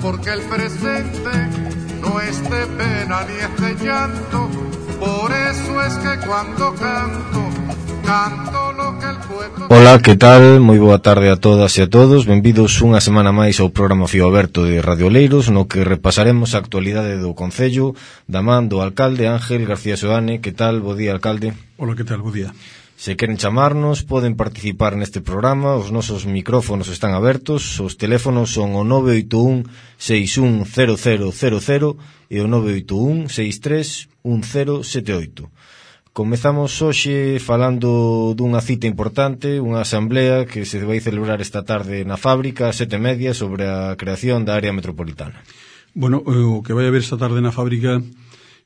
porque el presente no es de pena ni es de llanto. Por eso es que cuando canto lo que el pueblo... Ola, que tal? Moi boa tarde a todas e a todos. Benvidos unha semana máis ao programa Fío Aberto de Radio Oleiros, no que repasaremos a actualidade do Concello da man do alcalde Ángel García Soane. Que tal? Bo día, alcalde. Ola, que tal? Bo día. Se queren chamarnos, poden participar neste programa. Os nosos micrófonos están abertos. Os teléfonos son o 981 610000 e o 981 631078. Comezamos hoxe falando dunha cita importante, unha asamblea que se vai celebrar esta tarde na fábrica a 7:30 sobre a creación da área metropolitana. Bueno, o que vai haber esta tarde na fábrica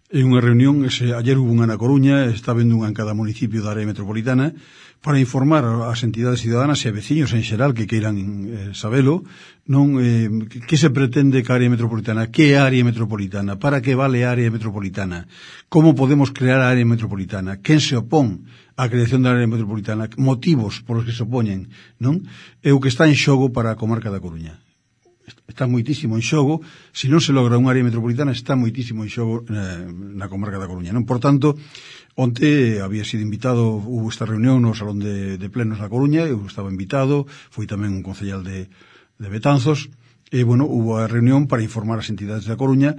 é unha reunión, ayer hubo unha na Coruña, está vendo unha en cada municipio da área metropolitana, para informar ás entidades ciudadanas e a veciños en xeral que queiran sabelo, non que se pretende ca área metropolitana, que é a área metropolitana, para que vale a área metropolitana, como podemos crear a área metropolitana, quen se opón á creación da área metropolitana, motivos por os que se opoñen, non? É o que está en xogo para a comarca da Coruña. Está moitísimo en xogo, se non se logra unha área metropolitana, está moitísimo en xogo na comarca da Coruña, non? Por tanto, onte había sido invitado, hubo esta reunión no Salón de Plenos na Coruña, eu estaba invitado, foi tamén un concellal de Betanzos, e, bueno, hubo a reunión para informar as entidades da Coruña,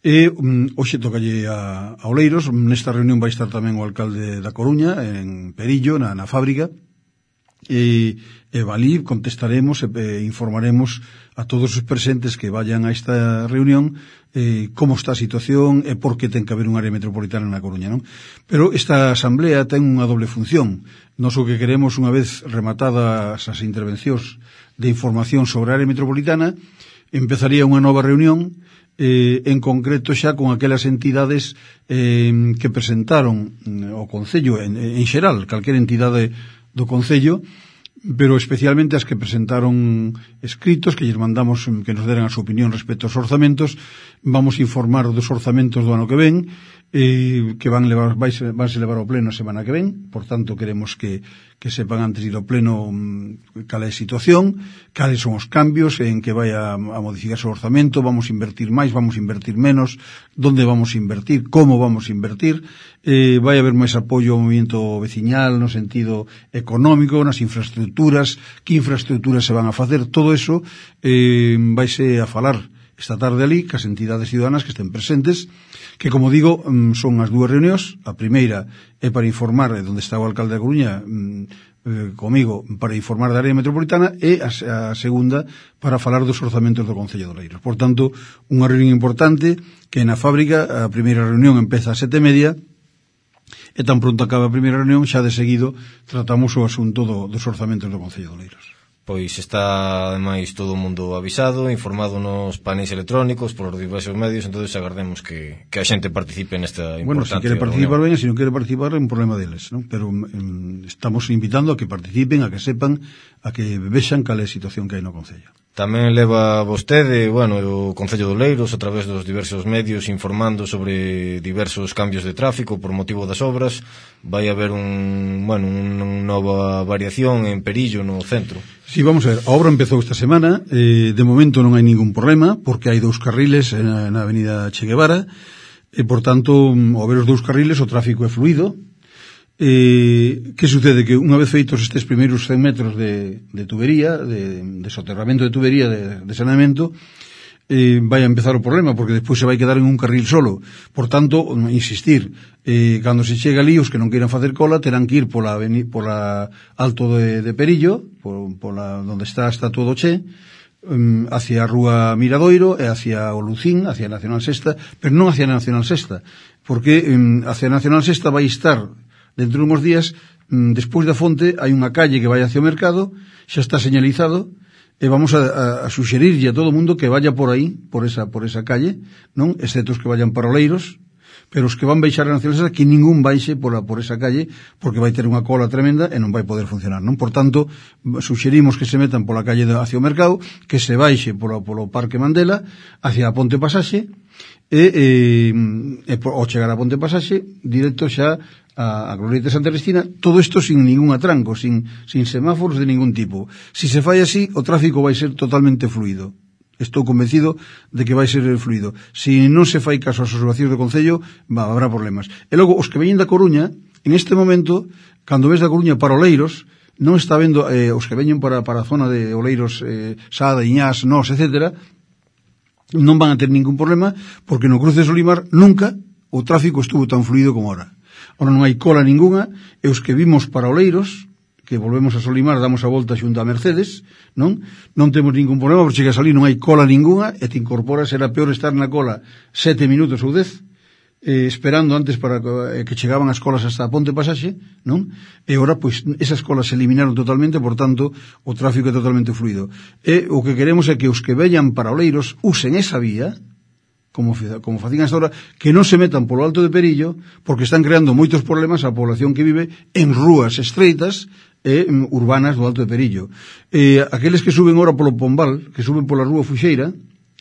e hoxe tocalle a Oleiros. Nesta reunión vai estar tamén o alcalde da Coruña, en Perillo, na fábrica, e valí contestaremos e informaremos a todos os presentes que vayan a esta reunión como está a situación e por que ten que haber unha área metropolitana na Coruña, non? Pero esta asamblea ten unha doble función. Nos o que queremos, unha vez rematadas as intervencións de información sobre a área metropolitana, empezaría unha nova reunión en concreto xa con aquelas entidades que presentaron o Concello en xeral, calquera entidade do Concello, pero especialmente as que presentaron escritos que lles mandamos que nos deran a súa opinión respecto aos orzamentos. Vamos a informar dos orzamentos do ano que ven, que vanse levar ao pleno a semana que ven. Por tanto, queremos que sepan antes de ir ao pleno cal é a situación, cales son os cambios, en que vai a modificarse o orzamento, vamos a invertir máis, vamos a invertir menos, donde vamos a invertir, como vamos a invertir, vai haber máis apoio ao movimento veciñal no sentido económico, nas infraestructuras, que infraestructuras se van a facer, todo eso vaise a falar esta tarde ali, cas entidades ciudadanas que estén presentes, que, como digo, son as dúas reunións. A primeira é para informar onde está o alcalde da Coruña comigo, para informar da área metropolitana, e a segunda para falar dos orzamentos do Concello de Oleiros. Por tanto, unha reunión importante que na fábrica, a primeira reunión empeza a 7:30, e tan pronto acaba a primeira reunión, xa de seguido tratamos o asunto dos orzamentos do Concello de Oleiros. Pois está, ademais, todo o mundo avisado, informado nos paneis electrónicos, polos diversos medios, entonces agardemos que a xente participe nesta importante reunión. Bueno, se quere participar ben, se non quere participar é un problema deles, non? Pero estamos invitando a que participen, a que sepan, a que vexan cal é a situación que hai no Concello. Tamén leva vostede, bueno, o Concello de Oleiros, a través dos diversos medios, informando sobre diversos cambios de tráfico por motivo das obras. Vai haber unha nova variación en Perillo, no centro. Sí, vamos a ver, a obra empezou esta semana, de momento non hai ningún problema, porque hai 2 carriles na avenida Che Guevara, e, por tanto, ao ver os 2 carriles, o tráfico é fluido. Que sucede? Que unha vez feitos estes primeiros 100 metros de tubería, de soterramento de tubería, de saneamento, vai a empezar o problema, porque despois se vai quedar en un carril solo. Por tanto, insistir, cando se chega ali, os que non queiran facer cola terán que ir pola alto de Perillo, pola donde está todo che, hacia a Rúa Miradoiro e hacia o Lucín, hacia a Nacional Sexta, pero non hacia a Nacional Sexta, porque hacia a Nacional Sexta vai estar dentro de uns días, despois da fonte hai unha calle que vai hacia o mercado, xa está señalizado, e vamos a suxerirlle a todo o mundo que vaya por aí, por esa calle, non? Excepto os que vayan para Oleiros, pero os que van baixar a Nacional, que ningún baixe por esa calle, porque vai ter unha cola tremenda e non vai poder funcionar, non? Por tanto, suxerimos que se metan pola calle hacia o mercado, que se baixe polo Parque Mandela, hacia a Ponte Pasaxe, e ao chegar a Ponte Pasaxe, directo xa a Glorieta de Santa Cristina, todo isto sin ningún atranco, sin semáforos de ningún tipo. Si se fai así, o tráfico vai ser totalmente fluido. Estou convencido de que vai ser fluido. Se non se fai caso ás observacións do Concello, habrá problemas. E logo, os que veñen da Coruña, en este momento, cando ves da Coruña para Oleiros, non está vendo os que veñen para a zona de Oleiros, Sada, Iñás, Nos, etc., non van a ter ningún problema, porque no cruce de Solimar nunca o tráfico estuvo tan fluido como ahora. Ahora non hai cola ninguna, e os que vimos para Oleiros, que volvemos a Solimar, damos a volta xunto a Mercedes, non temos ningún problema, porque chegas ali non hai cola ninguna, e te incorporas, era peor estar na cola 7 minutos ou 10, esperando antes para que chegaban as colas hasta a Ponte Pasaxe, non? E agora, pois, esas colas se eliminaron totalmente, por tanto, o tráfico é totalmente fluido. E o que queremos é que os que veñan para Oleiros usen esa vía, como facían hasta ahora, que non se metan polo Alto de Perillo, porque están creando moitos problemas á población que vive en rúas estreitas urbanas do Alto de Perillo. Aqueles que suben ahora polo Pombal, que suben pola rúa Fuxeira,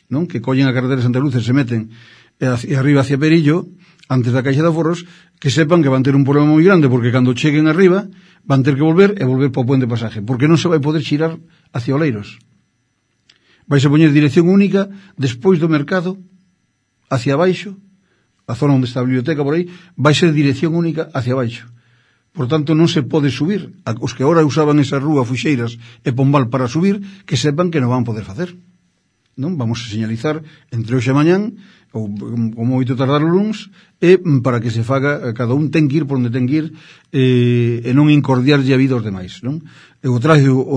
non? Que collen a carretera de Santa Luz e se meten hacia arriba hacia Perillo, antes da Caixa de Aforros, que sepan que van ter un problema moi grande, porque cando cheguen arriba van ter que volver para o Puente Pasaje, porque non se vai poder xirar hacia Oleiros. Vais a poñer dirección única despois do mercado hacia abaixo, a zona onde está a biblioteca por aí, vai ser dirección única hacia abaixo. Por tanto, non se pode subir. Os que agora usaban esa rúa Fuxeiras e Pombal para subir, que sepan que non van poder facer. Non? Vamos a señalizar entre hoxe e mañán, ou como moito tardar o luns, e para que se faga, cada un ten que ir por onde ten que ir, e non incordiarlle a vida aos demais. Non? O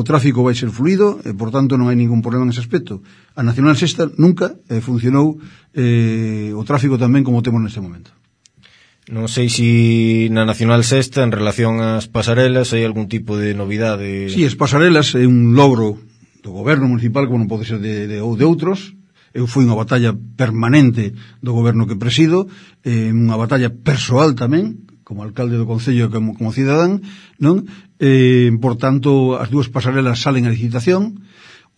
tráfico vai ser fluido, e por tanto non hai ningún problema nese aspecto. A Nacional Sexta nunca funcionou o tráfico tamén como temos neste momento. Non sei se na Nacional Sexta, en relación ás pasarelas, hai algún tipo de novidade. Sí, as pasarelas é un logro do goberno municipal, como non pode ser de outros. Eu fui unha batalla permanente do goberno que presido, unha batalla persoal tamén, como alcalde do Concello e como cidadán, non? Por tanto, as dúas pasarelas salen a licitación.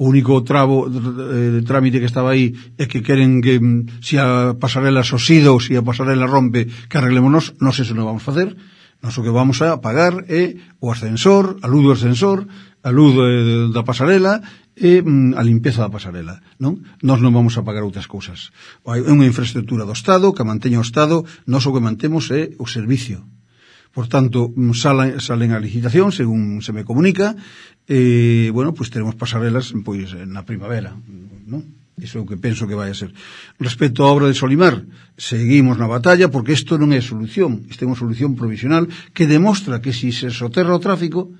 O único trámite que estaba aí é que queren que se a pasarela soxida ou se a pasarela rompe, que arreglémonos. Nós eso non vamos facer. Nós o que vamos a pagar é o ascensor, a luz do ascensor, a luz da pasarela e a limpeza da pasarela, non? Nós non vamos a pagar outras cousas. É unha infraestructura do Estado, que manteña o Estado. Nós o que mantemos é o servicio. Por tanto, salen a licitación, según se me comunica, bueno, pues teremos pasarelas pois na primavera, non? Iso é o que penso que vai a ser. Respecto á obra de Solimar, seguimos na batalla, porque isto non é solución, isto é unha solución provisional que demostra que se soterra o tráfico,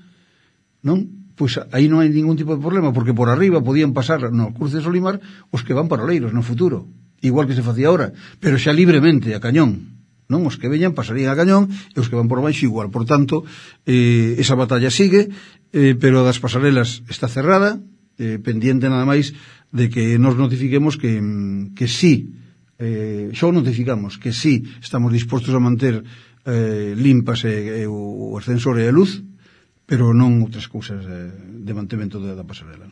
non? Pois aí non hai ningún tipo de problema, porque por arriba podían pasar no cruce de Solimar os que van para Oleiros no futuro, igual que se facía ahora, pero xa libremente a cañón. Non, os que veñan pasarían a cañón e os que van por baixo igual. Por tanto, esa batalla sigue, pero das pasarelas está cerrada, pendiente nada máis de que nos notifiquemos que sí, xo notificamos que sí estamos dispostos a manter limpas o ascensor e a luz, pero non outras cousas de mantemento da pasarela.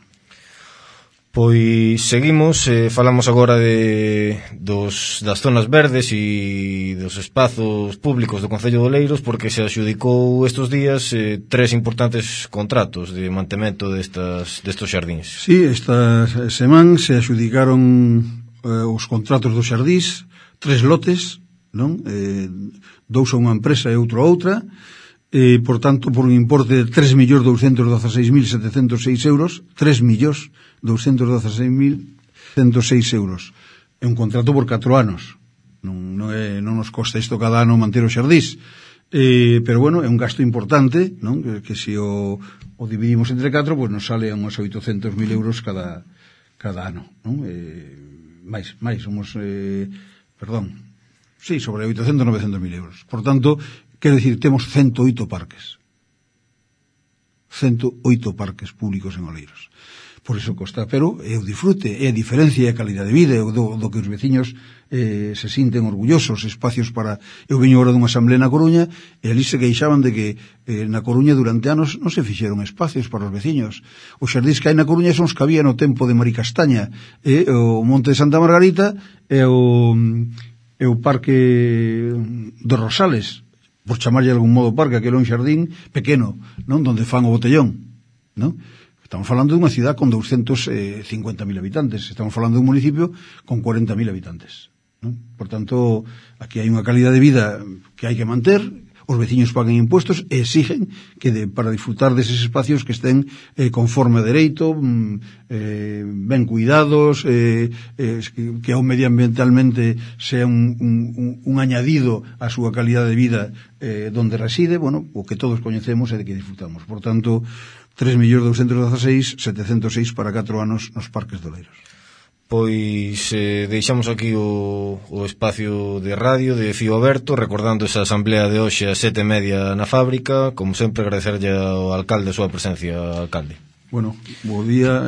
Pois seguimos, falamos agora das zonas verdes e dos espazos públicos do Concello de Oleiros, porque se adxudicou estes días 3 importantes contratos de mantemento destos xardíns. Sí, esta semana se adxudicaron os contratos dos xardís, 3 lotes, non? 2 a unha empresa e outro a outra, por tanto, por un importe de 3.216.706 euros, 3.216.106 euros. É un contrato por 4 anos. Non nos costa isto cada ano manter o xardís. Pero, bueno, é un gasto importante, non? Que se o dividimos entre 4, pues nos sale a uns 800.000 euros cada ano, non? Mais, somos, sobre 800, 900.000 euros. Por tanto, quero dicir, temos 108 parques. 108 parques públicos en Oleiros. Por iso costa, pero é o disfrute, é a diferencia e a calidade de vida, do que os veciños se sinten orgullosos, espacios para... Eu veño agora dunha asamblea na Coruña, e ali se queixaban de que na Coruña durante anos non se fixeron espacios para os veciños. Os xardís que hai na Coruña son os que había no tempo de Maricastaña, o Monte de Santa Margarita e o Parque dos Rosales, por chamarlle de algún modo parque, aquele é un xardín pequeno, non? Donde fan o botellón, non? Estamos falando dunha cidade con 250.000 habitantes, estamos falando dun municipio con 40.000 habitantes, non? Por tanto, aquí hai unha calidad de vida que hai que manter. Os veciños pagan impuestos e exigen que para disfrutar deses espacios que estén conforme a dereito, ben cuidados, que ao medioambientalmente sea un añadido á súa calidad de vida donde reside, bueno, o que todos coñecemos e de que disfrutamos. Por tanto, 3.216.706 para 4 anos nos parques de Oleiros. Pois deixamos aquí o espacio de radio de Fío Aberto, recordando esa asamblea de hoxe a 7:30 na fábrica. Como sempre, agradecerlle ao alcalde a súa presencia, alcalde. Bueno, bo día,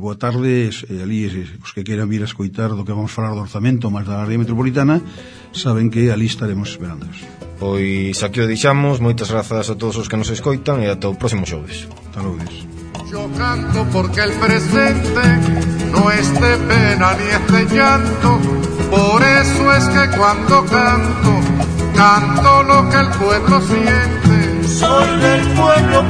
boa tarde, ali os que queiran vir a escoitar do que vamos falar do orzamento máis da área metropolitana, saben que ali estaremos esperándoos. Pois aquí o deixamos, moitas grazas a todos os que nos escoitan e ata o próximo xoves. Hasta logo. Yo canto porque el presente no es de pena ni es de llanto, por eso es que cuando canto, canto lo que el pueblo siente. Soy del pueblo,